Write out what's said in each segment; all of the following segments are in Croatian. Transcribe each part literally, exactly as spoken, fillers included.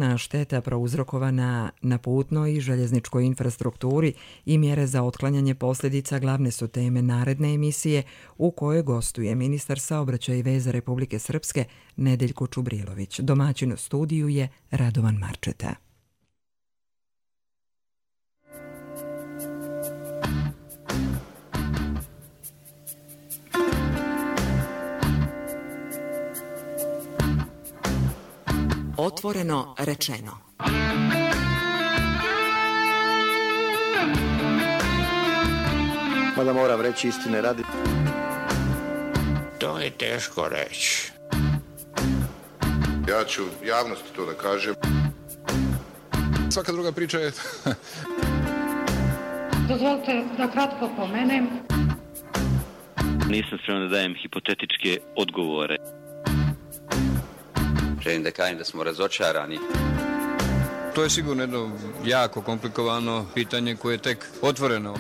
Na šteta prouzrokovana na putnoj i željezničkoj infrastrukturi i mjere za otklanjanje posljedica glavne su teme naredne emisije u kojoj gostuje ministar saobraćaja i veza Republike Srpske Nedeljko Čubrilović. Domaćin u studiju je Radovan Marčeta. Otvoreno rečeno. Mada moram reći istine radi. To je teško reći. Ja ću javnosti to da kažem. Svaka druga priča je... Dozvolite da kratko pomenem. Nisam spreman da dajem hipotetičke odgovore. Želim da kažem da smo razočarani. To je sigurno jedno jako komplikovano pitanje koje je tek otvoreno.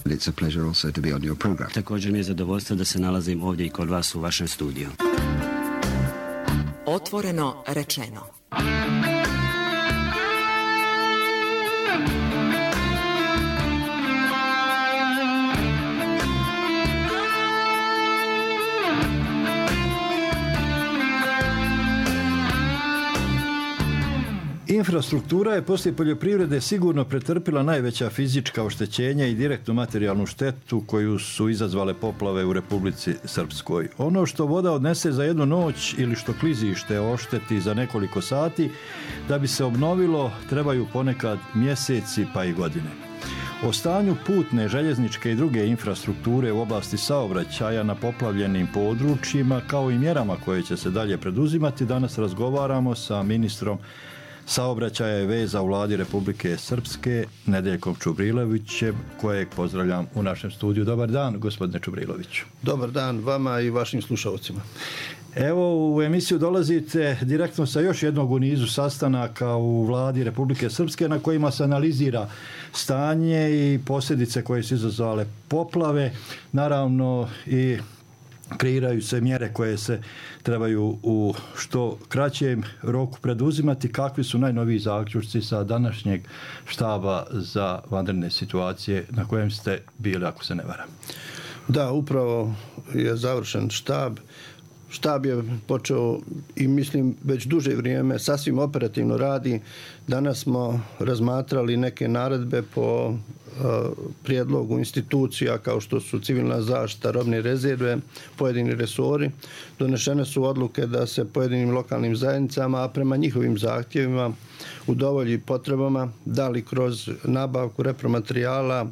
It's a pleasure also to be on your program. Također mi je zadovoljstvo da se nalazim ovdje i kod vas u vašem studiju. Otvoreno rečeno. Infrastruktura je poslije poljoprivrede sigurno pretrpila najveća fizička oštećenja i direktnu materijalnu štetu koju su izazvale poplave u Republici Srpskoj. Ono što voda odnese za jednu noć ili što klizište ošteti za nekoliko sati, da bi se obnovilo trebaju ponekad mjeseci pa i godine. O stanju putne, željezničke i druge infrastrukture u oblasti saobraćaja na poplavljenim područjima kao i mjerama koje će se dalje preduzimati danas razgovaramo sa ministrom saobraćaja i veza u vladi Republike Srpske Nedeljkom Čubrilovićem, kojeg pozdravljam u našem studiju. Dobar dan, gospodine Čubriloviću. Dobar dan vama i vašim slušalcima. Evo, u emisiju dolazite direktno sa još jednog u nizu sastanaka u vladi Republike Srpske na kojima se analizira stanje i posljedice koje su izazvale poplave. Naravno i kreiraju se mjere koje se trebaju u što kraćem roku preduzimati. Kakvi su najnoviji zaključci sa današnjeg štaba za vanredne situacije na kojem ste bili, ako se ne varam? Da, upravo je završen štab. Štab je počeo i mislim već duže vrijeme sasvim operativno radi. Danas smo razmatrali neke naredbe po uh, prijedlogu institucija kao što su civilna zaštita, robne rezerve, pojedini resori. Donešene su odluke da se pojedinim lokalnim zajednicama, a prema njihovim zahtjevima udovolji potrebama, da li kroz nabavku repromaterijala,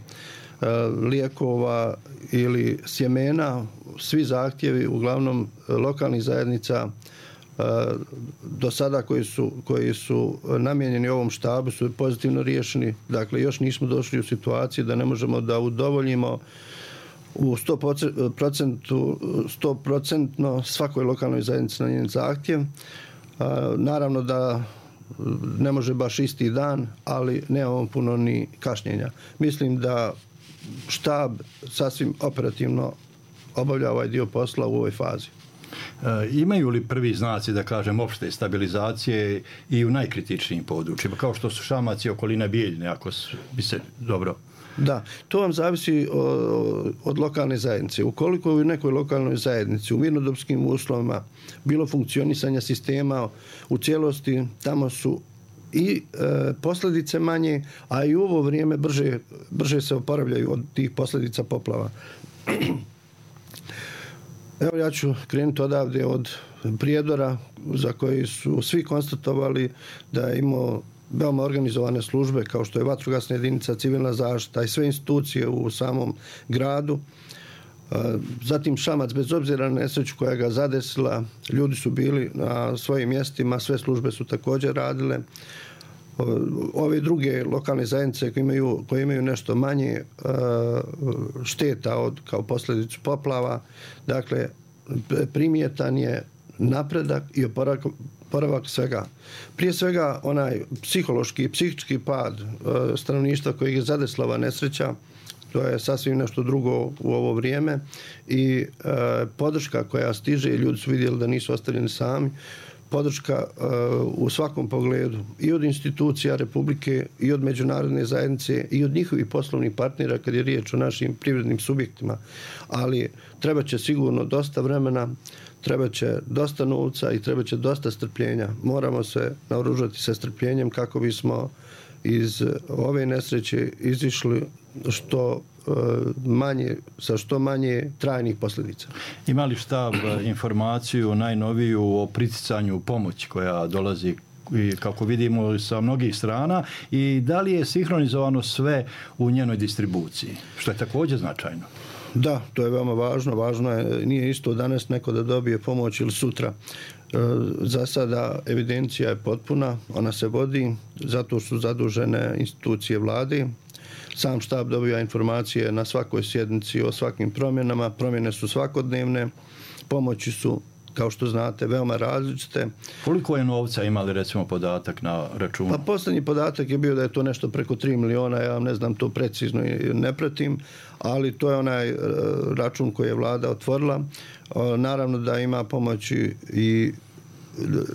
lijekova ili sjemena, svi zahtjevi uglavnom lokalnih zajednica do sada koji su, koji su namijenjeni ovom štabu su pozitivno riješeni. Dakle, još nismo došli u situaciju da ne možemo da udovoljimo u sto procentno svakoj lokalnoj zajednici na njen zahtjev. Naravno da ne može baš isti dan, ali nemamo puno ni kašnjenja. Mislim da štab sasvim operativno obavlja ovaj dio posla u ovoj fazi. E, imaju li prvi znaci, da kažem, opšte stabilizacije i u najkritičnijim područjima, kao što su Šamac i okolina Bijeljne, ako bi se dobro... Da, to vam zavisi od lokalne zajednice. Ukoliko u nekoj lokalnoj zajednici u mirnodopskim uslovima bilo funkcionisanja sistema u cijelosti, tamo su i e, posljedice manje, a i u ovo vrijeme brže, brže se oporavljaju od tih posljedica poplava. Evo ja ću krenuti odavde od Prijedora, za koji su svi konstatovali da je imao veoma organizovane službe kao što je vatrogasna jedinica, civilna zaštita i sve institucije u samom gradu. Zatim Šamac, bez obzira na nesreću koja ga zadesila, ljudi su bili na svojim mjestima, sve službe su također radile. Ove druge lokalne zajednice koje imaju, koje imaju nešto manje šteta od, kao posljedicu poplava, dakle, primjetan je napredak i oporavak, oporavak svega. Prije svega onaj psihološki i psihički pad stanovništva koji je zadesila ova nesreća, to je sasvim nešto drugo u ovo vrijeme i e, podrška koja stiže, ljudi su vidjeli da nisu ostavljeni sami, podrška u svakom pogledu i od institucija Republike i od međunarodne zajednice i od njihovih poslovnih partnera kad je riječ o našim privrednim subjektima. Ali treba će sigurno dosta vremena, treba će dosta novca i treba će dosta strpljenja. Moramo se naoružati sa strpljenjem kako bismo iz ove nesreće izišli što manje, sa što manje trajnih posljedica. Ima li štab informaciju najnoviju o priticanju pomoći koja dolazi, kako vidimo, sa mnogih strana, i da li je sinhronizovano sve u njenoj distribuciji, što je također značajno? Da, to je veoma važno. Važno je, nije isto danas neko da dobije pomoć ili sutra. Za sada evidencija je potpuna, ona se vodi, zato su zadužene institucije vlade. Sam štab dobija informacije na svakoj sjednici o svakim promjenama. Promjene su svakodnevne, pomoći su, kao što znate, veoma različite. Koliko je novca, imali recimo podatak na računu? Pa posljednji podatak je bio da je to nešto preko tri miliona, ja vam ne znam to precizno i ne pratim, ali to je onaj račun koji je vlada otvorila. Naravno da ima pomoći i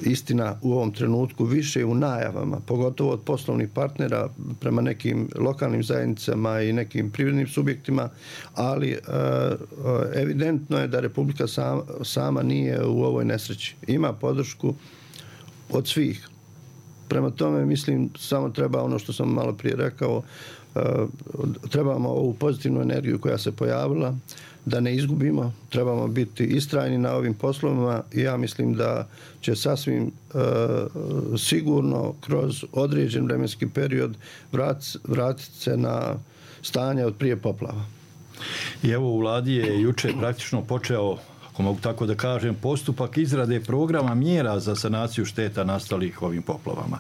istina u ovom trenutku više u najavama, pogotovo od poslovnih partnera prema nekim lokalnim zajednicama i nekim privrednim subjektima, ali evidentno je da Republika sama, sama nije u ovoj nesreći. Ima podršku od svih. Prema tome, mislim, samo treba ono što sam malo prije rekao, trebamo ovu pozitivnu energiju koja se pojavila da ne izgubimo, trebamo biti istrajni na ovim poslovima i ja mislim da će sasvim e, sigurno kroz određen vremenski period vrat, vratiti se na stanje od prije poplava. I evo, u vladi je juče praktično počeo, ako mogu tako da kažem, postupak izrade programa mjera za sanaciju šteta nastalih ovim poplavama.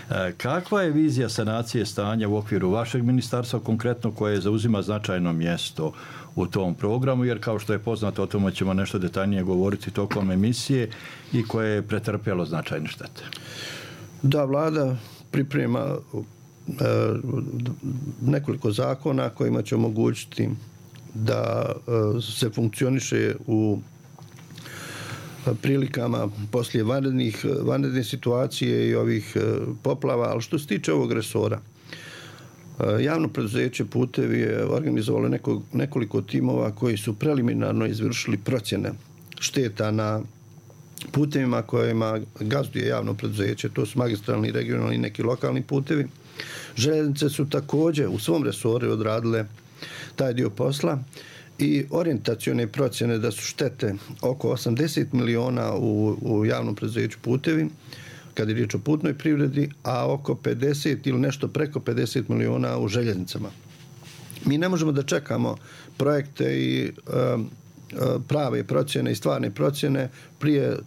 E, kakva je vizija sanacije stanja u okviru vašeg ministarstva, konkretno koje zauzima značajno mjesto u tom programu, jer kao što je poznato, o tome ćemo nešto detaljnije govoriti tokom emisije, i koje je pretrpjelo značajne štete? Da, vlada priprema e, nekoliko zakona kojima će omogućiti da e, se funkcioniše u prilikama poslije vanrednih, vanredne situacije i ovih poplava, ali što se tiče ovog resora, javno preduzeće Putevi je organizovalo neko, nekoliko timova koji su preliminarno izvršili procjene šteta na putevima kojima gazduje javno preduzeće, to su magistralni, regionalni i neki lokalni putevi. Željeznice su također u svom resoru odradile taj dio posla i orijentacione procjene da su štete oko osamdeset miliona u, u javnom preduzeću Putevi, kad je riječ o putnoj privredi, a oko pedeset ili nešto preko pedeset miliona u željeznicama. Mi ne možemo da čekamo projekte i um, prave procjene i stvarne procjene, prije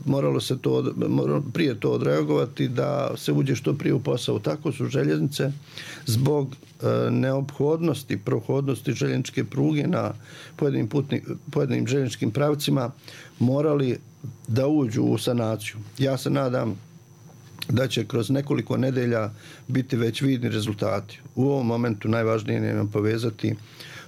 moralo se to, prije to odreagovati da se uđe što prije u posao. Tako su željeznice zbog e, neophodnosti, prohodnosti željezničke pruge na pojedinim, putni, pojedinim željezničkim pravcima morali da uđu u sanaciju. Ja se nadam da će kroz nekoliko nedelja biti već vidni rezultati. U ovom momentu najvažnije je nam povezati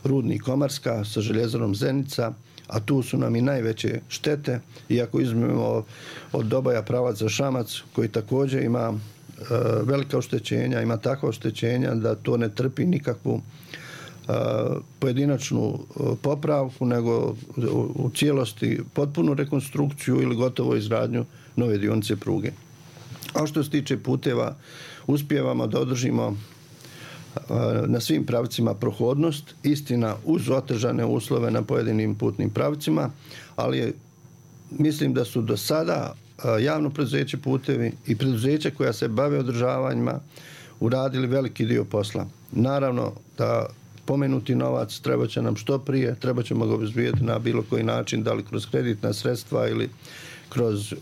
rudnik Komarska sa željezarom Zenica, a tu su nam i najveće štete, iako izmemo od Doboja pravac za Šamac, koji također ima e, velika oštećenja, ima takva oštećenja da to ne trpi nikakvu e, pojedinačnu popravku, nego u, u cijelosti potpunu rekonstrukciju ili gotovo izgradnju nove dionice pruge. A što se tiče puteva, uspijevamo da održimo na svim pravcima prohodnost, istina uz otežane uslove na pojedinim putnim pravcima, ali je, mislim da su do sada javno preduzeće Putevi i preduzeća koja se bave održavanjima uradili veliki dio posla. Naravno da pomenuti novac treba će nam što prije, treba ćemo ga obezbijeti na bilo koji način, da li kroz kreditna sredstva ili kroz e,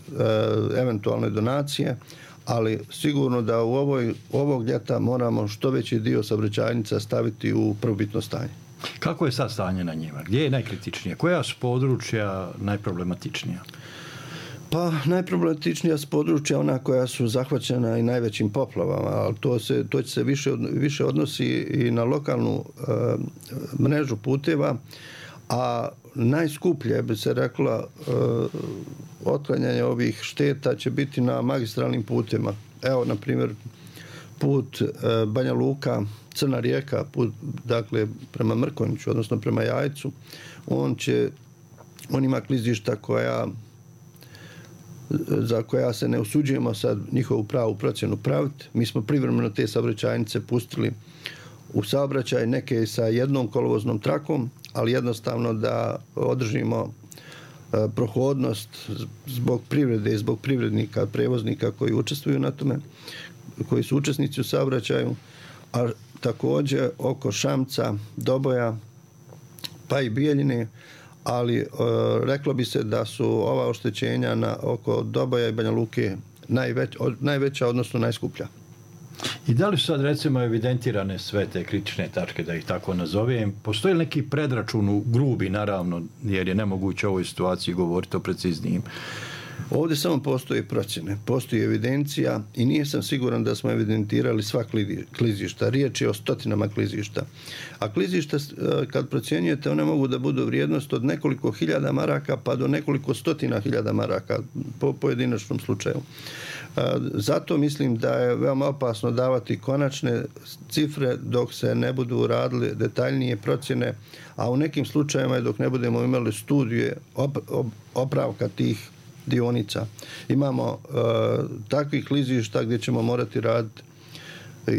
eventualne donacije, ali sigurno da u ovoj, ovog ljeta moramo što veći dio saobraćajnica staviti u prvobitno stanje. Kako je sad stanje na njima? Gdje je najkritičnije? Koja su područja najproblematičnija? Pa najproblematičnija su područja ona koja su zahvaćena i najvećim poplavama, ali to, se, to će se više, više odnosi i na lokalnu e, mrežu puteva, a najskuplje bi se rekla otklanjanje ovih šteta će biti na magistralnim putima. Evo, na primjer, put Banja Luka, Crna Rijeka, put, dakle, prema Mrkonjiću, odnosno prema Jajcu, on će, on ima klizišta koja, za koja se ne usuđujemo sad njihovu pravu procjenu praviti. Mi smo privremeno te saobraćajnice pustili u saobraćaj, neke sa jednom kolovoznom trakom, ali jednostavno da održimo prohodnost zbog privrede i zbog privrednika, prevoznika koji učestvuju na tome, koji su učesnici u saobraćaju, a također oko Šamca, Doboja, pa i Bijeljine, ali e, reklo bi se da su ova oštećenja na, oko Doboja i Banja Luke najveć, od, najveća, odnosno najskuplja. I da li su sad recimo evidentirane sve te kritične tačke, da ih tako nazovem? Postoji li neki predračun u grubi, naravno, jer je nemoguće u ovoj situaciji govoriti o preciznijim? Ovdje samo postoje procjene, postoji evidencija i nije sam siguran da smo evidentirali sva klizišta. Riječ je o stotinama klizišta. A klizišta, kad procjenjujete, one mogu da budu vrijednost od nekoliko hiljada maraka pa do nekoliko stotina hiljada maraka po pojedinačnom slučaju. Zato mislim da je veoma opasno davati konačne cifre dok se ne budu radile detaljnije procjene, a u nekim slučajevima dok ne budemo imali studije opravka tih dionica. Imamo uh, takvih klizišta gdje ćemo morati raditi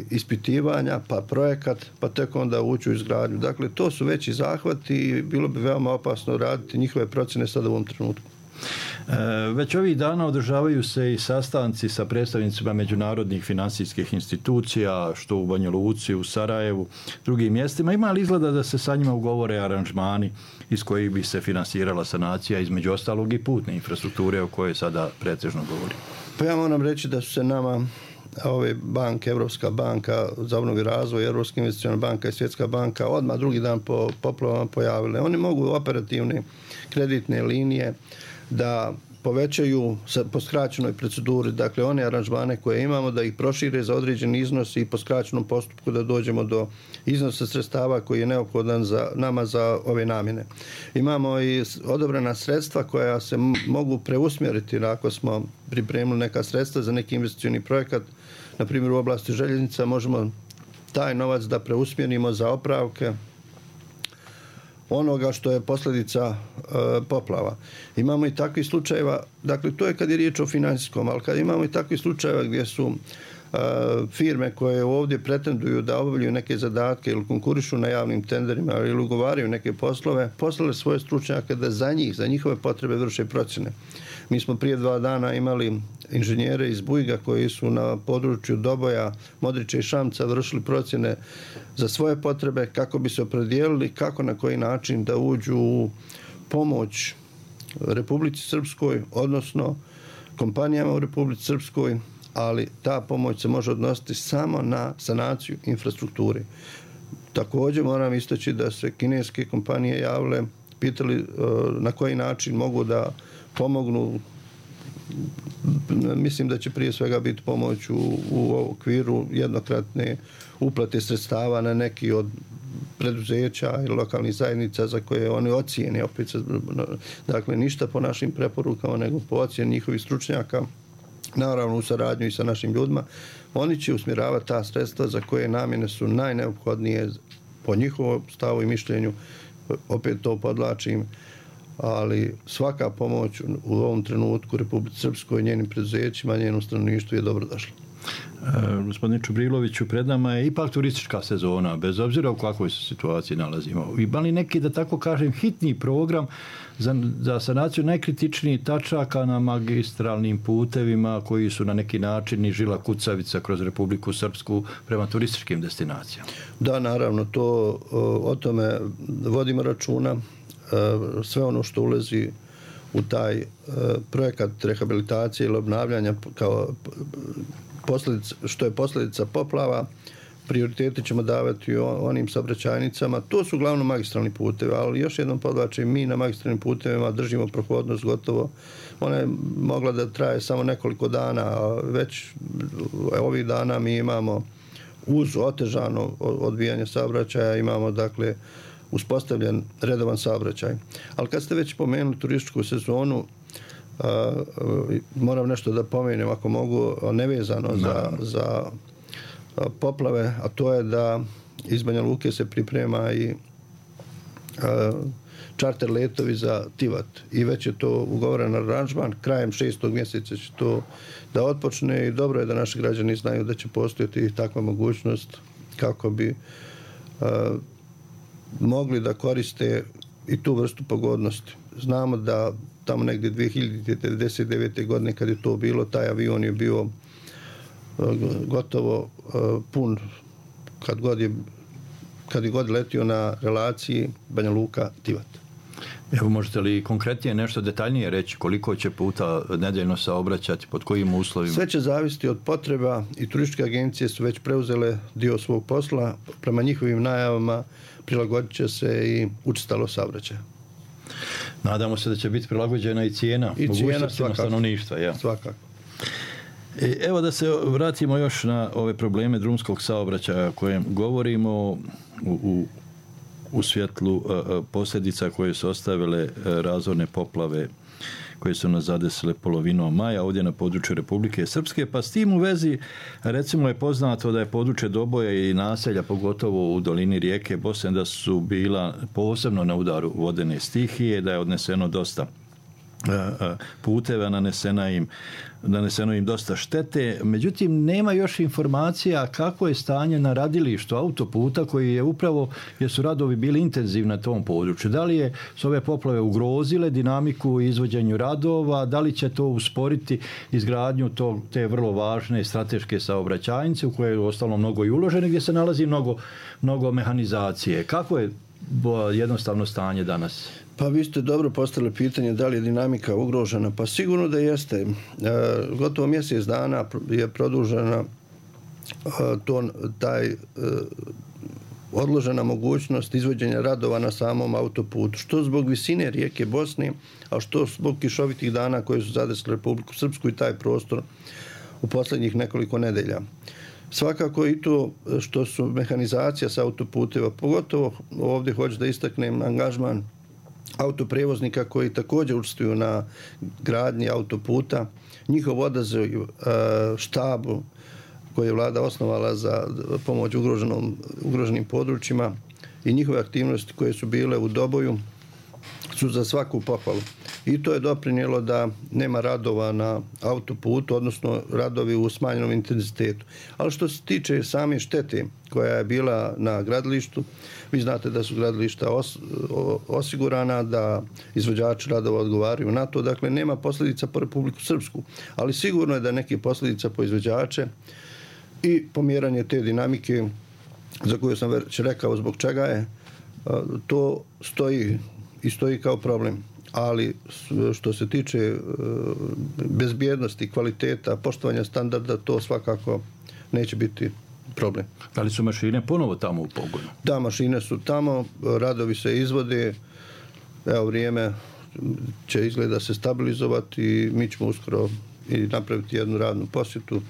ispitivanja, pa projekat, pa tek onda ući u izgradnju. Dakle, to su veći zahvati i bilo bi veoma opasno raditi njihove procjene sada u ovom trenutku. E, već ovih dana održavaju se i sastanci sa predstavnicima međunarodnih finansijskih institucija, što u Banja Luci, u Sarajevu, drugim mjestima. Ima li izgleda da se sa njima ugovore aranžmani iz kojih bi se finansirala sanacija, između ostalog i putne infrastrukture o kojoj sada pretežno govori? Pa ja moram reći da su se nama ove banke, Evropska banka za obnovu i razvoj, Europska investiciona banka i Svjetska banka odmah drugi dan po poplavama pojavile. Oni mogu operativne kreditne linije da povećaju po skraćenoj proceduri, dakle one aranžmane koje imamo, da ih prošire za određen iznos i po skraćenom postupku da dođemo do iznosa sredstava koji je neophodan za nama za ove namjene. Imamo i odobrena sredstva koja se mogu preusmjeriti ako smo pripremili neka sredstva za neki investicioni projekat, na primjer u oblasti željeznica, možemo taj novac da preusmjerimo za opravke onoga što je posljedica e, poplava. Imamo i takvih slučajeva, dakle to je kad je riječ o financijskom, ali kad imamo i takvih slučajeva gdje su e, firme koje ovdje pretenduju da obavljaju neke zadatke ili konkurišu na javnim tenderima ili ugovaraju neke poslove, poslale svoje stručnjake da za njih, za njihove potrebe vrše procjene. Mi smo prije dva dana imali inženjere iz Bujga koji su na području Doboja, Modrića i Šamca vršili procjene za svoje potrebe kako bi se opredijelili kako na koji način da uđu u pomoć Republici Srpskoj, odnosno kompanijama u Republici Srpskoj, ali ta pomoć se može odnositi samo na sanaciju infrastrukture. Također moram istaći da se kineske kompanije javile, pitali na koji način mogu da pomognu. Mislim da će prije svega biti pomoć u, u okviru jednokratne uplate sredstava na neki od preduzeća i lokalnih zajednica za koje oni ocijene, opet se, dakle ništa po našim preporukama nego po ocjeni njihovih stručnjaka, naravno u saradnju i sa našim ljudima. Oni će usmjeravati ta sredstva za koje namjene su najneophodnije po njihovom stavu i mišljenju, opet to podlačim, ali svaka pomoć u ovom trenutku Republici Srpskoj, njenim preduzećima, njenom stanovništvu je dobro došla. E, gospodine Čubriloviću, pred nama je ipak turistička sezona, bez obzira u kakvoj se situaciji nalazimo. Ima li neki, da tako kažem, hitni program za, za sanaciju najkritičnijih tačaka na magistralnim putevima koji su na neki način i žila kucavica kroz Republiku Srpsku prema turističkim destinacijama? Da, naravno, to o tome vodimo računa. Sve ono što ulazi u taj projekat rehabilitacije ili obnavljanja kao posljedica, što je posljedica poplava, prioriteti ćemo davati onim saobraćajnicama. To su uglavnom magistralni putevi, ali još jednom podvlačim, mi na magistralnim putevima držimo prohodnost gotovo. Ona je mogla da traje samo nekoliko dana, a već ovih dana mi imamo uz otežano odvijanje saobraćaja, imamo dakle uspostavljen redovan saobraćaj. Ali kad ste već pomenuli turističku sezonu, Uh, uh, moram nešto da pomenem ako mogu nevezano za, za uh, poplave, a to je da iz Banja Luke se priprema i uh, čarter letovi za Tivat i već je to ugovoren aranžman, krajem šestog mjeseca će to da otpočne i dobro je da naši građani znaju da će postojati takva mogućnost kako bi uh, mogli da koriste i tu vrstu pogodnosti. Znamo da tamo negdje dvije hiljade devedeset devete. godine kad je to bilo, taj avion je bio uh, gotovo uh, pun kad god je, kad je god letio na relaciji Banja Luka-Tivat. Evo, možete li konkretnije nešto detaljnije reći koliko će puta nedeljno saobraćati, pod kojim uslovima? Sve će zavisiti od potreba i turističke agencije su već preuzele dio svog posla. Prema njihovim najavama prilagodit će se i učestalo saobraćaja. Nadamo se da će biti prilagođena i cijena, I cijena svakako. Stanovništva. Ja. Svakako. E, evo da se vratimo još na ove probleme drumskog saobraćaja o kojem govorimo u, u, u svjetlu a, posljedica koje su ostavile a, razorne poplave koje su nas zadesile polovinom maja ovdje na području Republike Srpske, pa s tim u vezi recimo je poznato da je područje Doboja i naselja, pogotovo u dolini rijeke Bosne, da su bila posebno na udaru vodene stihije, da je odneseno dosta puteva, nanesena im, naneseno im dosta štete. Međutim, nema još informacija kako je stanje na radilištu autoputa koji je upravo, jer su radovi bili intenzivni na tom području. Da li je su ove poplave ugrozile dinamiku u izvođenju radova, da li će to usporiti izgradnju tog, te vrlo važne strateške saobraćajnice u koje je ostalo mnogo i uloženo, gdje se nalazi mnogo, mnogo mehanizacije. Kako je jednostavno stanje danas? Pa vi ste dobro postavili pitanje da li je dinamika ugrožena. Pa sigurno da jeste. E, gotovo mjesec dana je produžena e, to, taj e, odložena mogućnost izvođenja radova na samom autoputu. Što zbog visine rijeke Bosne, a što zbog kišovitih dana koje su zadesile Republiku Srpsku i taj prostor u posljednjih nekoliko nedelja. Svakako i to što su mehanizacija sa autoputeva, pogotovo ovdje hoću da istaknem angažman autoprevoznika koji također učestvuju na gradnji autoputa, njihov odaziv štabu koji je vlada osnovala za pomoć ugroženom, ugroženim područjima i njihove aktivnosti koje su bile u Doboju su za svaku pohvalu. I to je doprinijelo da nema radova na autoputu, odnosno radovi u smanjenom intenzitetu. Ali što se tiče same štete koja je bila na gradilištu, vi znate da su gradilišta os, osigurana, da izvođači radova odgovaraju na to, dakle nema posljedica po Republiku Srpsku, ali sigurno je da neke posljedica po izvođače i pomjeranje te dinamike za koju sam već rekao zbog čega je, to stoji i stoji kao problem. Ali što se tiče bezbjednosti, kvaliteta, poštovanja standarda, to svakako neće biti problem. Da li su mašine ponovo tamo u pogonu? Da, mašine su tamo, radovi se izvode, evo vrijeme će izgleda se stabilizovati i mi ćemo uskoro i napraviti jednu radnu posjetu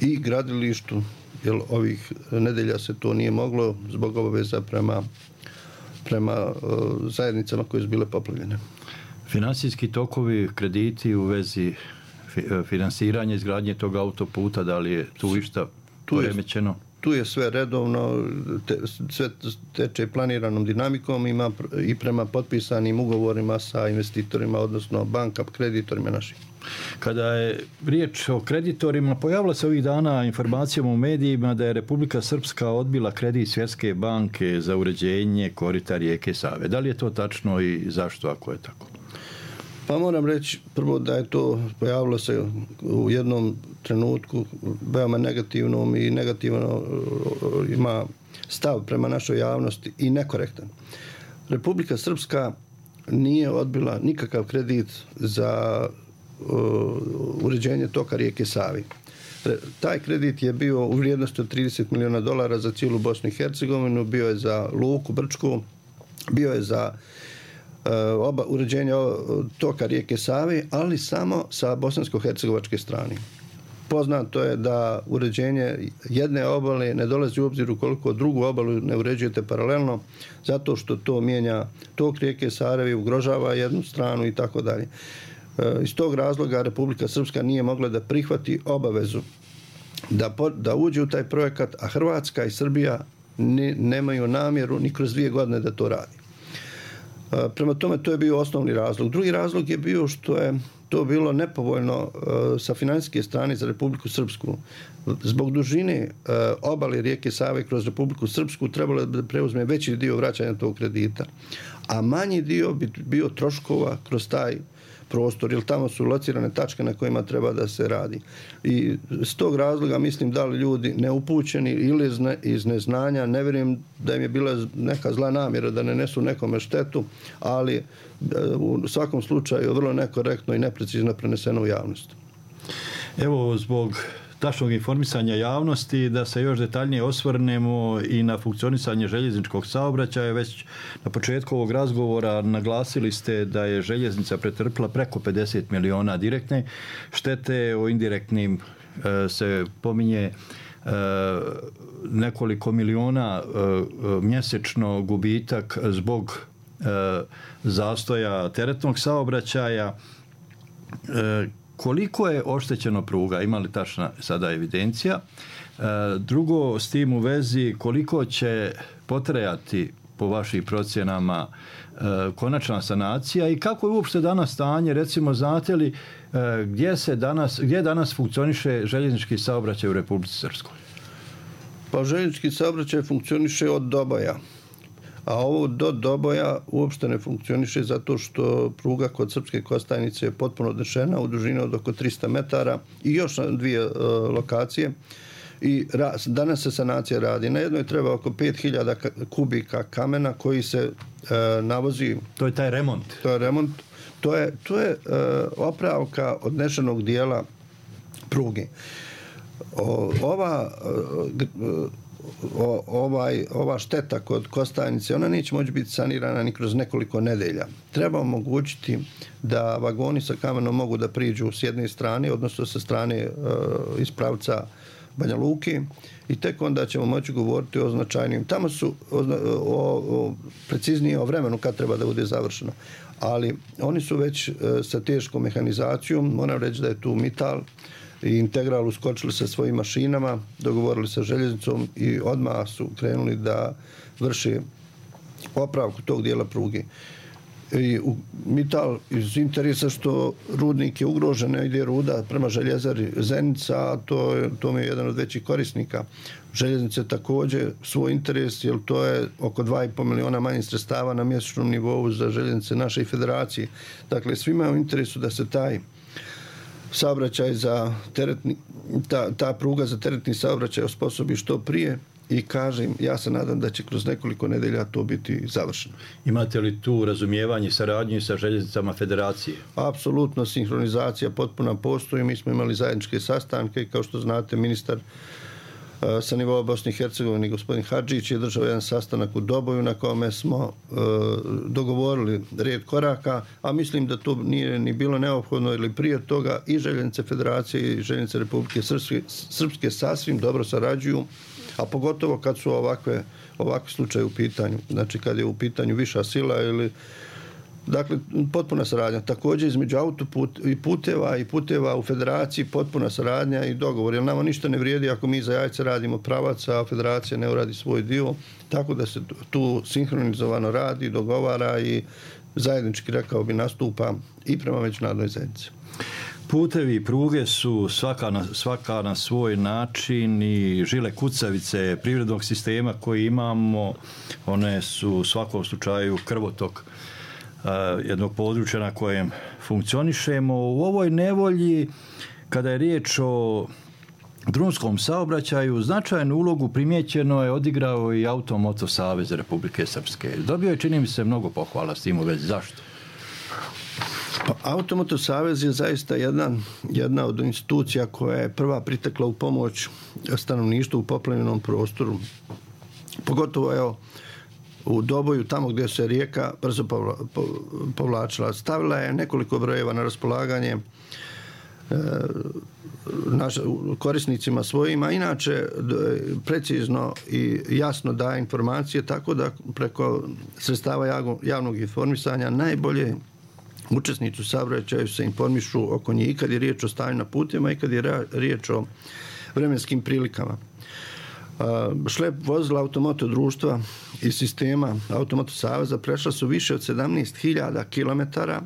i gradilištu, jer ovih nedelja se to nije moglo zbog obaveza prema prema uh, zajednicama koje su bile poplavljene. Finansijski tokovi, krediti u vezi fi, finansiranja izgradnje tog autoputa, da li je tu išta poremećeno? Tu je sve redovno, te, sve teče planiranom dinamikom, ima i prema potpisanim ugovorima sa investitorima, odnosno banka, kreditorima naših. Kada je riječ o kreditorima, pojavila se ovih dana informacijom u medijima da je Republika Srpska odbila kredit Svjetske banke za uređenje korita rijeke Save. Da li je to tačno i zašto ako je tako? Pa moram reći prvo da je to pojavilo se u jednom trenutku veoma negativnom i negativno ima stav prema našoj javnosti i nekorektan. Republika Srpska nije odbila nikakav kredit za uređenje toka rijeke Savi. Taj kredit je bio u vrijednosti od trideset miliona dolara za cijelu Bosnu i Hercegovinu, bio je za Luku, Brčku, bio je za oba uređenja toka rijeke Save, ali samo sa bosansko-hercegovačke strane. Poznato je da uređenje jedne obale ne dolazi u obzir ukoliko drugu obalu ne uređujete paralelno, zato što to mijenja tok rijeke Save, ugrožava jednu stranu i tako dalje. Iz tog razloga Republika Srpska nije mogla da prihvati obavezu da, da uđe u taj projekat, a Hrvatska i Srbija ni, nemaju namjeru ni kroz dvije godine da to radi. Prema tome, to je bio osnovni razlog. Drugi razlog je bio što je to bilo nepovoljno sa financijske strane za Republiku Srpsku. Zbog dužine obale rijeke Save kroz Republiku Srpsku trebalo da preuzme veći dio vraćanja tog kredita, a manji dio bi bio troškova kroz taj prostor, jer tamo su locirane tačke na kojima treba da se radi. I s tog razloga mislim da li ljudi neupućeni ili iz neznanja, ne vjerujem da im je bila neka zla namjera da ne nesu nekome štetu, ali u svakom slučaju vrlo nekorektno i neprecizno preneseno u javnost. Evo, zbog tačnog informisanja javnosti, da se još detaljnije osvrnemo i na funkcionisanje željezničkog saobraćaja. Već na početku ovog razgovora naglasili ste da je željeznica pretrpila preko pedeset miliona direktne štete, o indirektnim e, se pominje e, nekoliko miliona e, mjesečno gubitak zbog e, zastoja teretnog saobraćaja. E, Koliko je oštećeno pruga? Ima li tačna sada evidencija? Drugo, s tim u vezi, koliko će potrajati po vašim procjenama konačna sanacija i kako je uopšte danas stanje? Recimo, znate li gdje se danas, gdje danas funkcioniše željeznički saobraćaj u Republici Srpskoj? Pa željeznički saobraćaj funkcioniše od Doboja. A ovo do Doboja uopšte ne funkcioniše zato što pruga kod Srpske Kostajnice je potpuno odnešena u dužini od oko tristo metara i još na dvije uh, lokacije. I ra, danas se sanacija radi. Na jednoj treba oko pet hiljada kubika kamena koji se uh, navozi. To je taj remont. To je remont. To je, to je uh, opravka odnešenog dijela pruge. O, ova uh, O, ovaj, ova šteta kod Kostajnice, ona neće moći biti sanirana ni kroz nekoliko nedelja. Treba omogućiti da vagoni sa kamenom mogu da priđu s jedne strane, odnosno sa strane e, iz pravca Banja Luke, i tek onda ćemo moći govoriti o značajnim. Tamo su o, o, o, preciznije o vremenu kad treba da bude završeno. Ali oni su već e, sa teškom mehanizacijom, moram reći da je tu Mital i Integral uskočili sa svojim mašinama, dogovorili sa željeznicom i odmah su krenuli da vrše opravku tog dijela pruge. I u Mital iz interesa što rudnik je ugrožen, ide ruda prema željezari Zenica, a to, je, to mi je jedan od većih korisnika. Željeznice također svoj interes, jer to je oko dva i pol miliona manje sredstava na mjesečnom nivou za željeznice naše federacije. Dakle, svima je u interesu da se taj saobraćaj za teretni, ta, ta pruga za teretni saobraćaj osposobi što prije i kažem, ja se nadam da će kroz nekoliko nedelja to biti završeno. Imate li tu razumijevanje, saradnju sa željeznicama federacije? Apsolutno, sinhronizacija potpuno postoji. Mi smo imali zajedničke sastanke i kao što znate, ministar sa nivoa Bosne i Hercegovine, gospodin Hadžić, je držao jedan sastanak u Doboju na kome smo e, dogovorili red koraka, a mislim da to nije ni bilo neophodno, ili prije toga i željeznice federacije i željeznice Republike Srpske, Srpske sasvim dobro sarađuju, a pogotovo kad su ovakve, ovakve slučaje u pitanju. Znači kad je u pitanju viša sila ili dakle, potpuna saradnja. Također između autoput i puteva i puteva u federaciji potpuna saradnja i dogovor. Jer nama ništa ne vrijedi ako mi za jajce radimo pravac, a federacija ne uradi svoj dio. Tako da se tu sinhronizovano radi, dogovara i zajednički, rekao bi, nastupa i prema međunarodnoj zajednici. Putevi i pruge su svaka na, svaka na svoj način i žile kucavice privrednog sistema koji imamo. One su u svakom slučaju krvotok jednog područja na kojem funkcionišemo. U ovoj nevolji, kada je riječ o drumskom saobraćaju, značajnu ulogu primijećeno je odigrao i Automoto Savez Republike Srpske. Dobio je, čini mi se, mnogo pohvala s tim u vezi. Zašto? Pa, Automoto Savez je zaista jedna, jedna od institucija koja je prva pritekla u pomoć stanovništvu u poplavljenom prostoru. Pogotovo, evo, u Doboju, tamo gdje se rijeka brzo povlačila. Stavila je nekoliko brojeva na raspolaganje naš, korisnicima svojima. Inače, precizno i jasno daje informacije, tako da preko sredstava javnog informisanja najbolje učesnici u saobraćaju se informišu oko njih, i kad je riječ o stanju na putima i kad je riječ o vremenskim prilikama. Šlep vozila Automoto društva i sistema Automoto saveza prešla su više od sedamnaest hiljada kilometara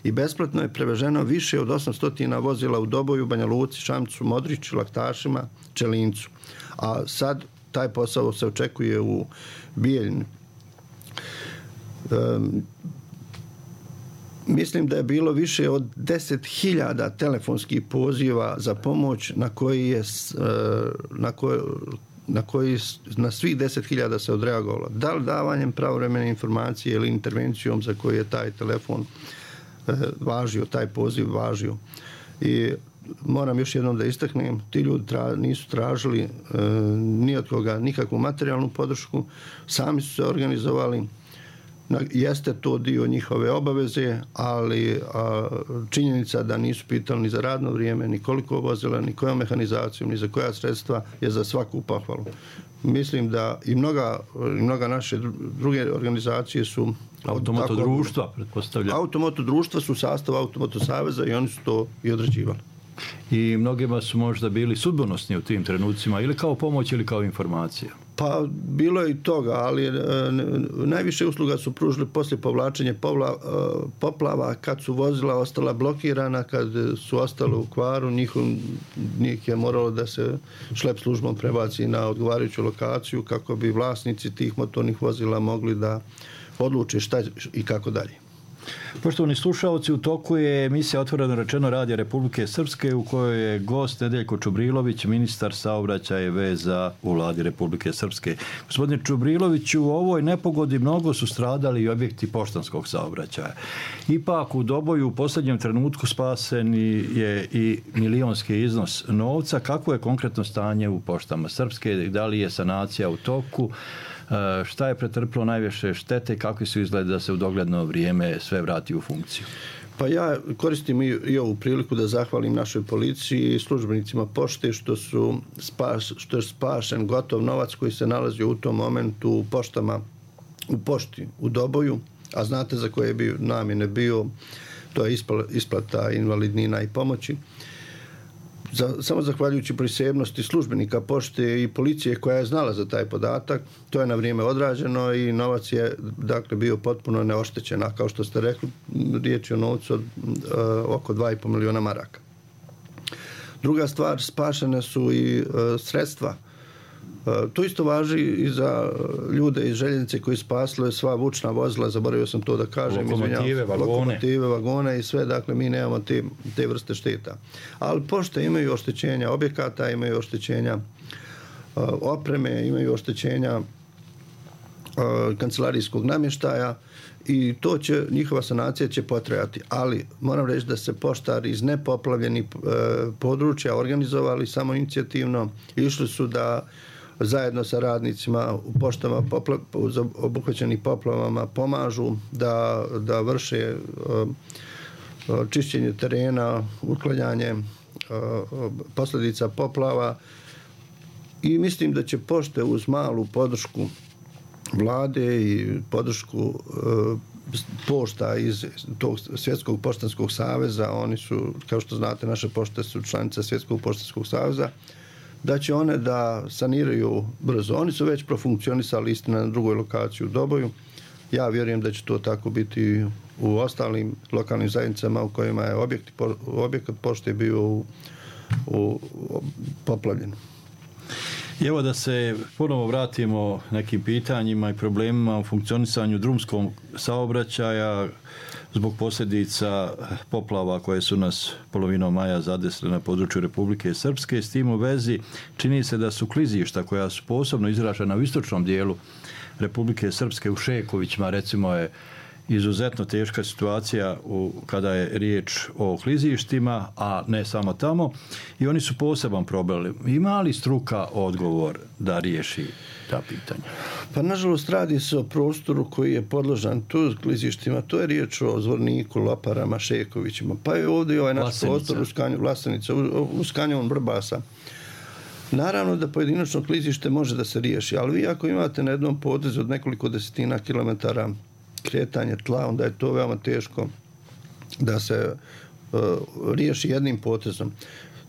i besplatno je preveženo više od osamsto vozila u Doboju, Banja Luci, Šamcu, Modriću, Laktašima, Čelincu. A sad taj posao se očekuje u Bijeljini. Um, Mislim da je bilo više od deset hiljada telefonskih poziva za pomoć na koji je na koji, na koji na svih deset hiljada se odreagovalo. Da li davanjem pravovremene informacije ili intervencijom za koju je taj telefon važio, taj poziv važio. I moram još jednom da istaknem, ti ljudi tra, nisu tražili e, ni od koga nikakvu materijalnu podršku, sami su se organizovali. Jeste to dio njihove obaveze, ali a, činjenica da nisu pitali ni za radno vrijeme, ni koliko vozila, ni kojom mehanizacijom, ni za koja sredstva je za svaku pohvalu. Mislim da i mnoga, i mnoga naše druge organizacije su... Automoto društva, pretpostavljam. Automoto društva su sastav Automoto saveza i oni su to i određivali. I mnogima su možda bili sudbonosni u tim trenucima, ili kao pomoć ili kao informacija? Pa bilo je i toga, ali e, najviše usluga su pružili poslije povlačenja povla, e, poplava, kad su vozila ostala blokirana, kad su ostale u kvaru, njih, njih je moralo da se šlep službom prebaci na odgovarajuću lokaciju kako bi vlasnici tih motornih vozila mogli da odluče šta i kako dalje. Poštovani slušalci, u toku je emisija Otvoreno rečeno Radija Republike Srpske u kojoj je gost Nedeljko Čubrilović, ministar saobraćaja i veza u Vladi Republike Srpske. Gospodine Čubriloviću, u ovoj nepogodi mnogo su stradali i objekti poštanskog saobraćaja. Ipak u Doboju u posljednjem trenutku spasen je i milionski iznos novca. Kako je konkretno stanje u poštama Srpske? Da li je sanacija u toku? Šta je pretrpilo najviše štete i kakvi su izgledi da se u dogledno vrijeme sve vrati u funkciju? Pa ja koristim i, i ovu priliku da zahvalim našoj policiji i službenicima pošte što su spas, što je spašen gotov novac koji se nalazio u tom momentu u poštama, u pošti u Doboju, a znate za koje bi namjene bio, to je isplata invalidnina i pomoći. Za, samo zahvaljujući prisebnosti službenika pošte i policije koja je znala za taj podatak, to je na vrijeme odrađeno i novac je dakle bio potpuno neoštećen, a kao što ste rekli, riječ je o novcu od uh, oko dva i po miliona maraka. Druga stvar, spašene su i uh, sredstva. Uh, to isto važi i za ljude iz željeznice koji spasle sva vučna vozila, zaboravio sam to da kažem. Lokomotive, vagone. Lokomotive, vagone i sve, dakle mi nemamo te, te vrste šteta. Ali pošte imaju oštećenja objekata, imaju oštećenja uh, opreme, imaju oštećenja uh, kancelarijskog namještaja i to će, njihova sanacija će potrajati. Ali moram reći da se poštari iz nepoplavljenih uh, područja organizovali samo inicijativno, išli su da zajedno sa radnicima u poštama popla, obuhvaćenih poplavama pomažu da, da vrše uh, čišćenje terena, uklanjanje uh, posljedica poplava i mislim da će pošte uz malu podršku vlade i podršku uh, pošta iz tog Svjetskog poštanskog saveza, oni su, kao što znate, naše pošte su članice Svjetskog poštanskog saveza, da će one da saniraju brzo. Oni su već profunkcionisali, istina, na drugoj lokaciji u Doboju. Ja vjerujem da će to tako biti u ostalim lokalnim zajednicama u kojima je objekt, objekat pošte bio u, u, u poplavljen. I evo da se ponovo vratimo nekim pitanjima i problemima u funkcionisanju drumskog saobraćaja zbog posljedica poplava koje su nas polovinom maja zadesile na području Republike Srpske. S tim u vezi čini se da su klizišta koja su posebno izražena u istočnom dijelu Republike Srpske, u Šekovićima recimo je izuzetno teška situacija u, kada je riječ o klizištima, a ne samo tamo, i oni su poseban problem. Ima li struka odgovor da riješi ta pitanja? Pa nažalost radi se o prostoru koji je podložan tu klizištima. To je riječ o Zvorniku, Loparama, Šekovićima. Pa je ovdje ovaj naš Vlasenica. prostor u Skanju, Vlasenica, u, u Skanjovom Vrbasa. Naravno da pojedinačno klizište može da se riješi, ali vi ako imate na jednom potezu od nekoliko desetina kilometara kretanje tla, onda je to veoma teško da se uh, riješi jednim potezom.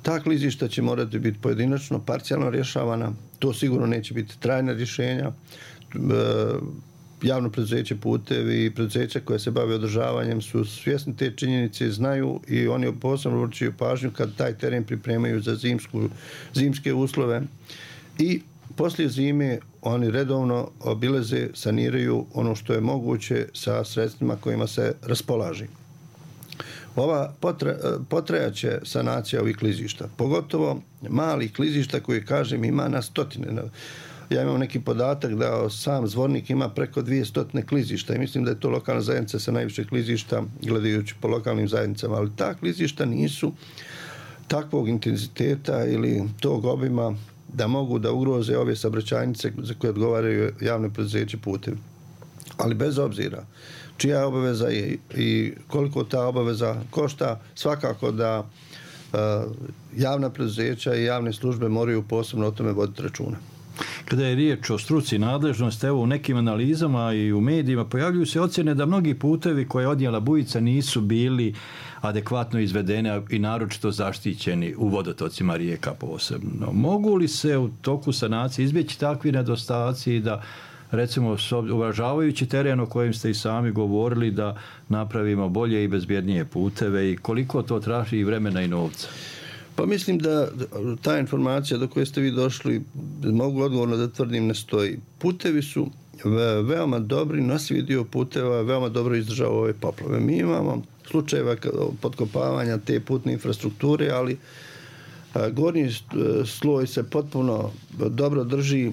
Ta klizišta će morati biti pojedinačno, parcijalno rješavana, to sigurno neće biti trajna rješenja. Uh, javno preduzeće Putevi i preduzeća koje se bave održavanjem su svjesni te činjenice, znaju i oni posebno vrčuju pažnju kad taj teren pripremaju za zimsku, zimske uslove i poslije zime oni redovno obileze, saniraju ono što je moguće sa sredstvima kojima se raspolaži. Ova potre, potrejaće sanacija ovih klizišta, pogotovo malih klizišta koji, kažem, ima na stotine. Ja imam neki podatak da sam Zvornik ima preko dvjesto klizišta i mislim da je to lokalna zajednica sa najviše klizišta gledajući po lokalnim zajednicama, ali ta klizišta nisu takvog intenziteta ili tog obima da mogu da ugroze ove saobraćajnice za koje odgovaraju javne preduzeće Putevi. Ali bez obzira čija obaveza je i koliko ta obaveza košta, svakako da uh, javna preduzeća i javne službe moraju posebno o tome voditi računa. Kada je riječ o struci nadležnosti, evo u nekim analizama i u medijima pojavljuju se ocjene da mnogi putevi koje je odnijela bujica nisu bili adekvatno izvedene i naročito zaštićeni u vodotocima rijeka posebno. Mogu li se u toku sanacije izbjeći takvi nedostaci da, recimo, uvažavajući teren o kojem ste i sami govorili, da napravimo bolje i bezbjednije puteve i koliko to traži i vremena i novca? Pa mislim da ta informacija do koje ste vi došli, mogu odgovorno da tvrdim, ne stoji. Putevi su veoma dobri, nosivi dio puteva veoma dobro izdržao ove poplave. Mi imamo slučajeva potkopavanja te putne infrastrukture, ali gornji sloj se potpuno dobro drži,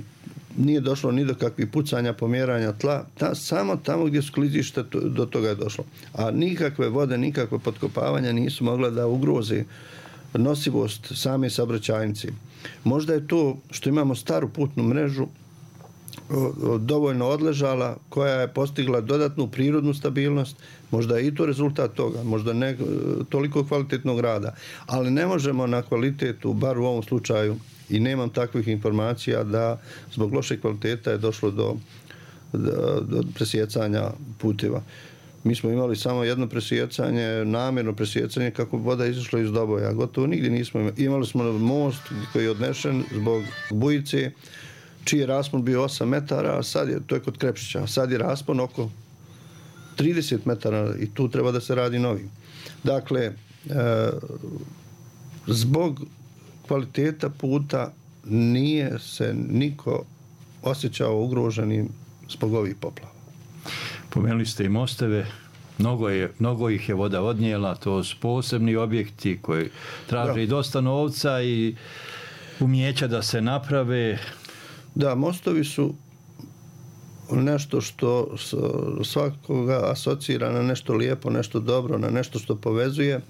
nije došlo ni do kakvih pucanja, pomjeranja tla, ta, samo tamo gdje su klizišta do toga je došlo. A nikakve vode, nikakve potkopavanja nisu mogla da ugroze nosivost same saobraćajnice. Možda je to što imamo staru putnu mrežu dovoljno odležala, koja je postigla dodatnu prirodnu stabilnost, možda je i to rezultat toga, možda ne toliko kvalitetnog rada, ali ne možemo na kvalitetu, bar u ovom slučaju, i nemam takvih informacija da zbog loše kvaliteta je došlo do, do, do presjecanja puteva. Mi smo imali samo jedno presjecanje, namjerno presjecanje kako voda izašla iz Doboja. Gotovo nigdje nismo imali. Imali smo most koji je odnešen zbog bujice, čiji je raspon bio osam metara, a sad je, to je kod Krepšića, a sad je raspon oko trideset metara i tu treba da se radi novi. Dakle, e, zbog kvaliteta puta nije se niko osjećao ugroženim zbog ovih poplava. Pomenuli ste i mostove, mnogo, je, mnogo ih je voda odnijela, to su posebni objekti koji traže i dosta novca i umjeća da se naprave. Da, mostovi su nešto što svakoga asocira na nešto lijepo, nešto dobro, na nešto što povezuje.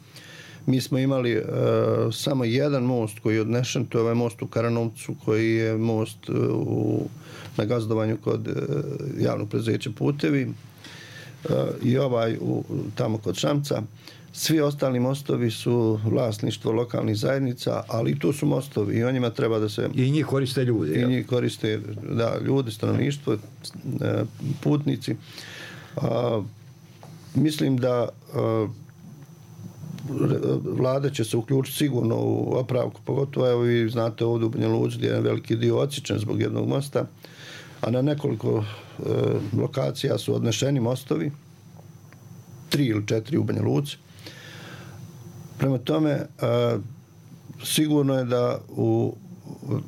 Mi smo imali uh, samo jedan most koji je odnešen, to je ovaj most u Karanovcu, koji je most uh, u, na gazdovanju kod uh, javnog preduzeća Putevi uh, i ovaj u, tamo kod Šamca. Svi ostali mostovi su vlasništvo lokalnih zajednica, ali i tu su mostovi i o njima treba da se... I njih koriste ljudi. I njih koriste, da, ljudi, stanovništvo, uh, putnici. Uh, mislim da uh, vlada će se uključiti sigurno u opravku, pogotovo evo vi znate ovdje u Banja Luci gdje je veliki dio odsječen zbog jednog mosta, a na nekoliko e, lokacija su odnešeni mostovi, tri ili četiri u Banja Luci. Prema tome, e, sigurno je da u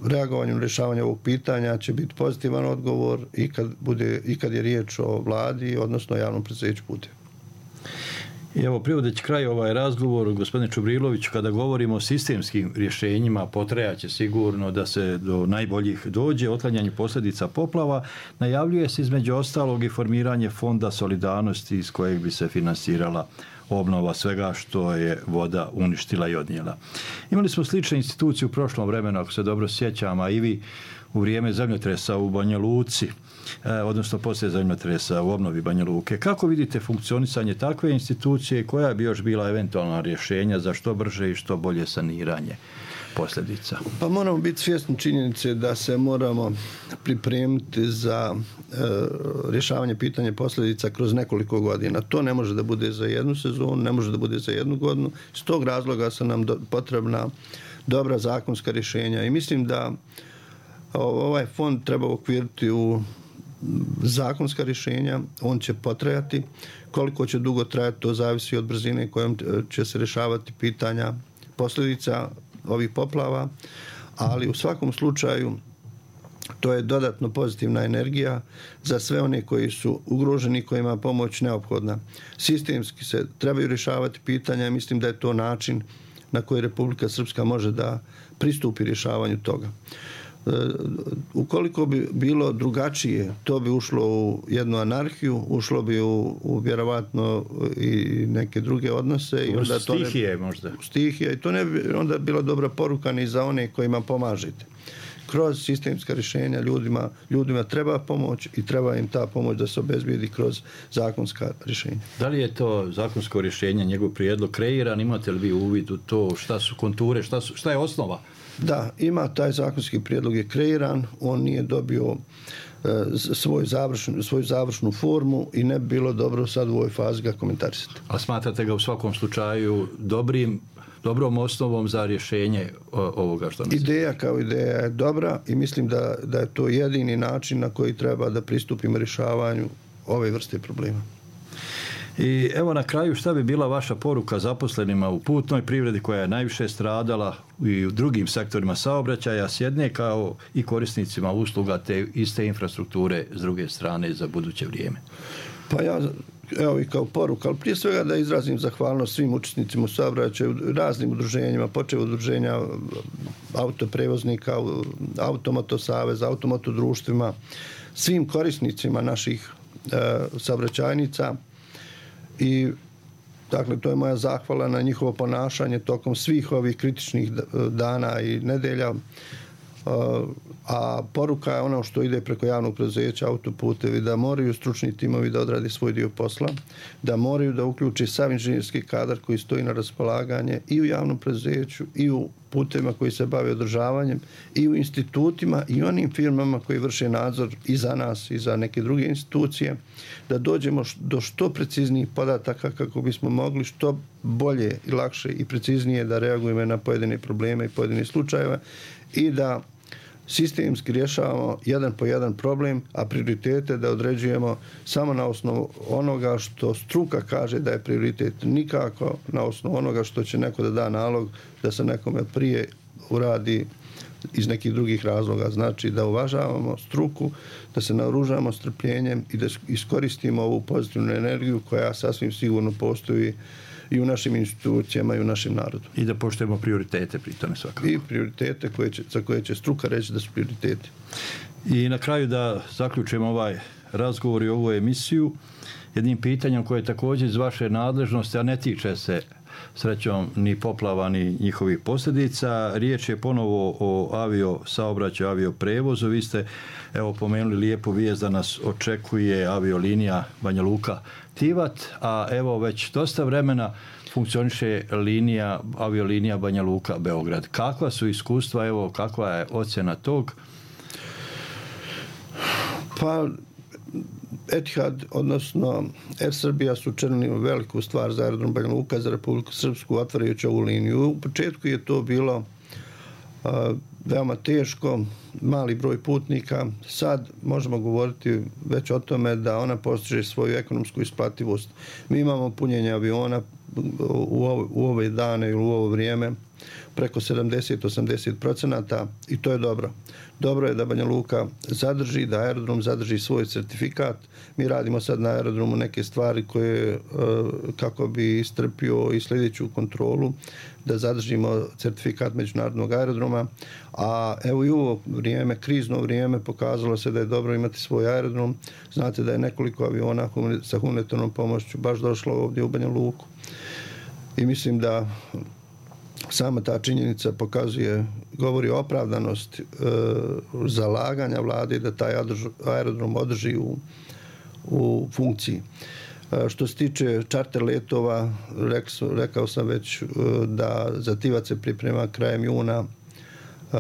reagovanju na rješavanje ovog pitanja će biti pozitivan odgovor i kad, bude, i kad je riječ o vladi, odnosno javnom preduzeću Putevi. I evo, privodeći kraj ovaj razgovor, gospodine Čubrilović, kada govorimo o sistemskim rješenjima, potrajaće sigurno da se do najboljih dođe, otklanjanju posljedica poplava, najavljuje se između ostalog i formiranje fonda solidarnosti iz kojeg bi se finansirala obnova svega što je voda uništila i odnijela. Imali smo slične institucije u prošlom vremenu, ako se dobro sjećam, a i vi u vrijeme zemljotresa u Banja Luci, odnosno poslije zemljotresa u obnovi Banja Luke. Kako vidite funkcionisanje takve institucije i koja bi još bila eventualna rješenja za što brže i što bolje saniranje posljedica? Pa moramo biti svjesni činjenice da se moramo pripremiti za e, rješavanje pitanja posljedica kroz nekoliko godina. To ne može da bude za jednu sezonu, ne može da bude za jednu godinu. S tog razloga su nam do, potrebna dobra zakonska rješenja i mislim da ovaj fond treba okviriti u zakonska rješenja, on će potrajati. Koliko će dugo trajati, to zavisi od brzine kojom će se rješavati pitanja posljedica ovih poplava, ali u svakom slučaju to je dodatno pozitivna energija za sve one koji su ugroženi, kojima je pomoć neophodna. Sistemski se trebaju rješavati pitanja i mislim da je to način na koji Republika Srpska može da pristupi rješavanju toga. Ukoliko bi bilo drugačije, to bi ušlo u jednu anarhiju, ušlo bi u, u vjerovatno i neke druge odnose. I onda to stihije ne, možda. Stihije. I to ne bi onda bila dobra poruka ni za one kojima pomažete. Kroz sistemska rješenja ljudima, ljudima treba pomoć i treba im ta pomoć da se obezbijedi kroz zakonska rješenja. Da li je to zakonsko rješenje, njegov prijedlog kreiran? Imate li vi uvid u to? Šta su konture? Šta, su, šta je osnova? Da, ima taj zakonski prijedlog je kreiran, on nije dobio e, svoj završnu, svoju završnu formu i ne bi bilo dobro sad u ovoj fazi ga komentarisati. A smatrate ga u svakom slučaju dobrim, dobrom osnovom za rješenje ovoga što nas... Ideja kao ideja je dobra i mislim da, da je to jedini način na koji treba da pristupimo rješavanju ove vrste problema. I evo na kraju, šta bi bila vaša poruka zaposlenima u putnoj privredi koja je najviše stradala i u drugim sektorima saobraćaja s jedne, kao i korisnicima usluga te iste infrastrukture s druge strane za buduće vrijeme? Pa ja, evo i kao poruka, ali prije svega da izrazim zahvalnost svim učesnicima u saobraćaju, raznim udruženjima, počev udruženja autoprevoznika, Automoto saveza, automoto društvima, svim korisnicima naših e, saobraćajnica. I dakle, to je moja zahvala na njihovo ponašanje tokom svih ovih kritičnih dana i nedelja. A poruka je ono što ide preko javnog preduzeća Autoputevi, da moraju stručni timovi da odradi svoj dio posla, da moraju da uključi sav inženjerski kadar koji stoji na raspolaganje i u javnom preduzeću i u putevima koji se bave održavanjem i u institutima i onim firmama koji vrše nadzor i za nas i za neke druge institucije, da dođemo do što preciznijih podataka kako bismo mogli što bolje i lakše i preciznije da reagujemo na pojedine probleme i pojedine slučajeve i da sistemski rješavamo jedan po jedan problem, a prioritete da određujemo samo na osnovu onoga što struka kaže da je prioritet, nikako na osnovu onoga što će neko da da nalog da se nekome prije uradi iz nekih drugih razloga. Znači da uvažavamo struku, da se naoružamo strpljenjem i da iskoristimo ovu pozitivnu energiju koja sasvim sigurno postoji i u našim institucijama i u našem narodu. I da poštujemo prioritete pri tome svakako. I prioritete koje će, za koje će struka reći da su prioriteti. I na kraju da zaključimo ovaj razgovor i ovu emisiju jednim pitanjem koje je također iz vaše nadležnosti, a ne tiče se srećom ni poplava ni njihovih posljedica. Riječ je ponovo o avio saobraćaju, avio prevozu. Vi ste evo pomenuli lijepu vijest da nas očekuje aviolinija Banja Luka Tivat, a evo već dosta vremena funkcioniše linija, aviolinija Banja Luka Beograd. Kakva su iskustva, evo kakva je ocjena tog? Pa Etihad, odnosno Air Srbija su učinili veliku stvar za aerodrom Banja Luka, za Republiku Srpsku, otvarajući ovu liniju. U početku je to bilo uh, veoma teško, mali broj putnika. Sad možemo govoriti već o tome da ona postiže svoju ekonomsku isplativost. Mi imamo punjenje aviona u, ovo, u ove dane ili u ovo vrijeme preko sedamdeset do osamdeset procenata i to je dobro. Dobro je da Banja Luka zadrži, da aerodrom zadrži svoj certifikat. Mi radimo sad na aerodromu neke stvari koje kako bi istrpio i sljedeću kontrolu, da zadržimo certifikat međunarodnog aerodroma. A evo i u ovo vrijeme, krizno vrijeme, pokazalo se da je dobro imati svoj aerodrom. Znate da je nekoliko aviona sa humanitarnom pomoću baš došlo ovdje u Banja Luku. I mislim da sama ta činjenica pokazuje, govori o opravdanosti e, zalaganja vlade da taj aerodrom održi u, u funkciji. E, što se tiče čarter letova, rekao, rekao sam već e, da za Tivac se priprema krajem juna e,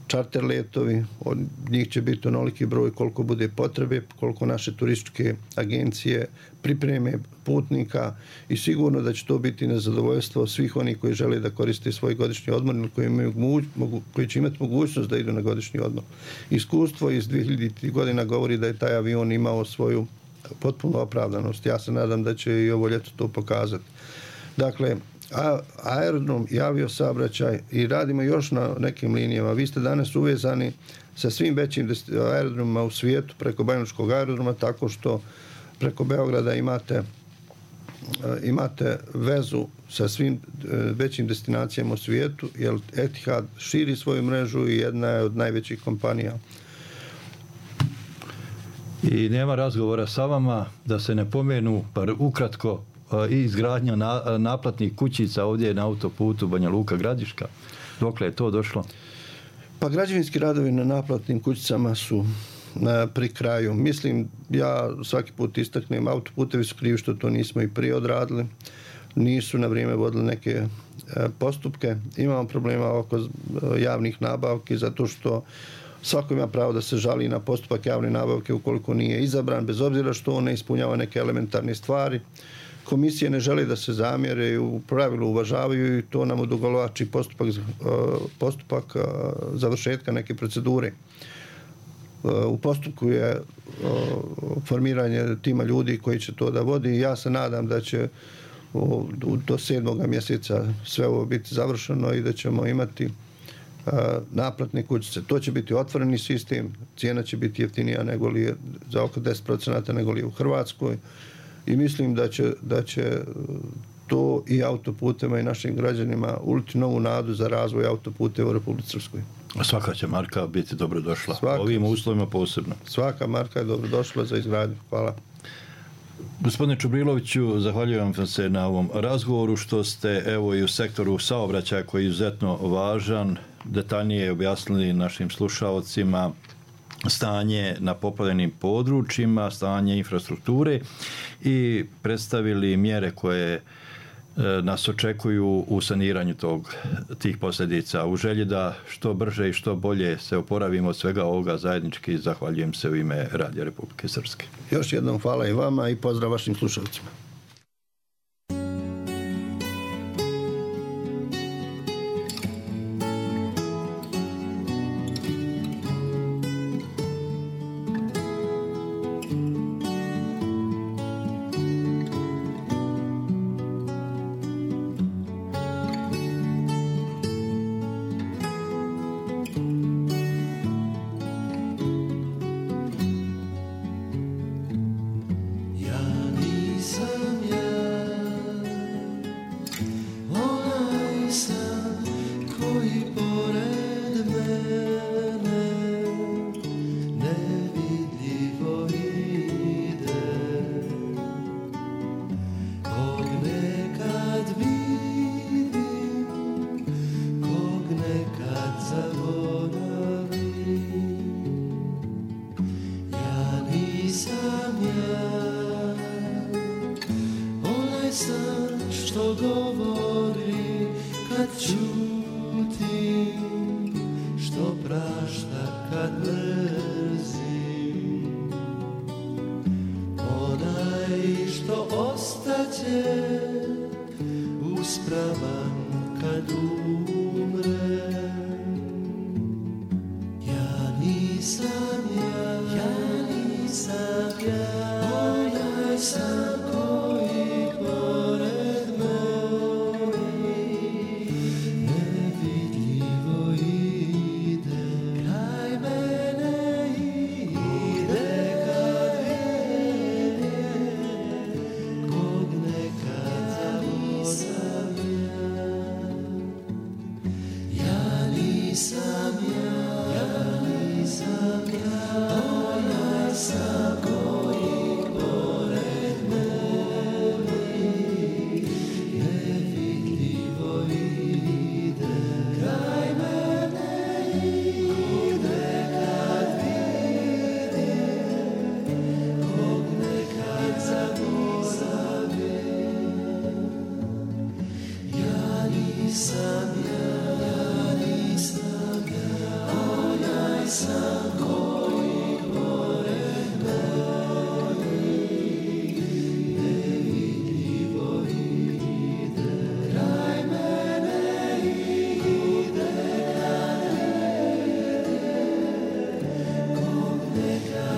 čarter letovi, od njih će biti onoliki broj koliko bude potrebe, koliko naše turističke agencije pripreme putnika i sigurno da će to biti na zadovoljstvo svih onih koji žele da koriste svoj godišnji odmor ili koji, imaju, mogu, koji će imati mogućnost da idu na godišnji odmor. Iskustvo iz dvije hiljaditih godina govori da je taj avion imao svoju potpunu opravdanost. Ja se nadam da će i ovo ljeto to pokazati. Dakle, a, aerodrom i aviosaobraćaj i radimo još na nekim linijama. Vi ste danas uvezani sa svim većim aerodromima u svijetu preko Banjalučkog aerodroma, tako što preko Beograda imate, imate vezu sa svim većim destinacijama u svijetu, jer Etihad širi svoju mrežu i jedna je od najvećih kompanija. I nema razgovora sa vama da se ne pomenu, par ukratko, i izgradnja na, naplatnih kućica ovdje na autoputu Banja Luka Gradiška. Dokle je to došlo? Pa građevinski radovi na naplatnim kućicama su na, pri kraju. Mislim, ja svaki put istaknem, autoputevi su krivi što to nismo i prije odradili. Nisu na vrijeme vodili neke e, postupke. Imamo problema oko javnih nabavki zato što svako ima pravo da se žali na postupak javne nabavke ukoliko nije izabran, bez obzira što on ne ispunjava neke elementarne stvari. Komisije ne žele da se zamjere i u pravilu uvažavaju i to nam odugovlači postupak, postupak završetka neke procedure. U postupku je formiranje tima ljudi koji će to da vodi i ja se nadam da će do sedmog mjeseca sve ovo biti završeno i da ćemo imati naplatne kućice. To će biti otvoreni sistem, cijena će biti jeftinija nego li je, za oko deset posto nego li je u Hrvatskoj. I mislim da će, da će to i autoputema i našim građanima uliti novu nadu za razvoj autoputeva u Republici Srpskoj. Svaka će marka biti dobrodošla. Svaka, ovim uslovima posebno. Svaka marka je dobrodošla za izgradnju. Hvala. Gospodine Čubriloviću, zahvaljujem vam se na ovom razgovoru što ste evo i u sektoru saobraćaja koji je izuzetno važan, detaljnije objasnili našim slušaocima stanje na poplavljenim područjima, stanje infrastrukture i predstavili mjere koje nas očekuju u saniranju tog, tih posljedica. U želji da što brže i što bolje se oporavimo od svega ovoga zajednički, zahvaljujem se u ime Radija Republike Srpske. Još jednom hvala i vama i pozdrav vašim slušalcima. Sam, ja nisam ja, onaj sam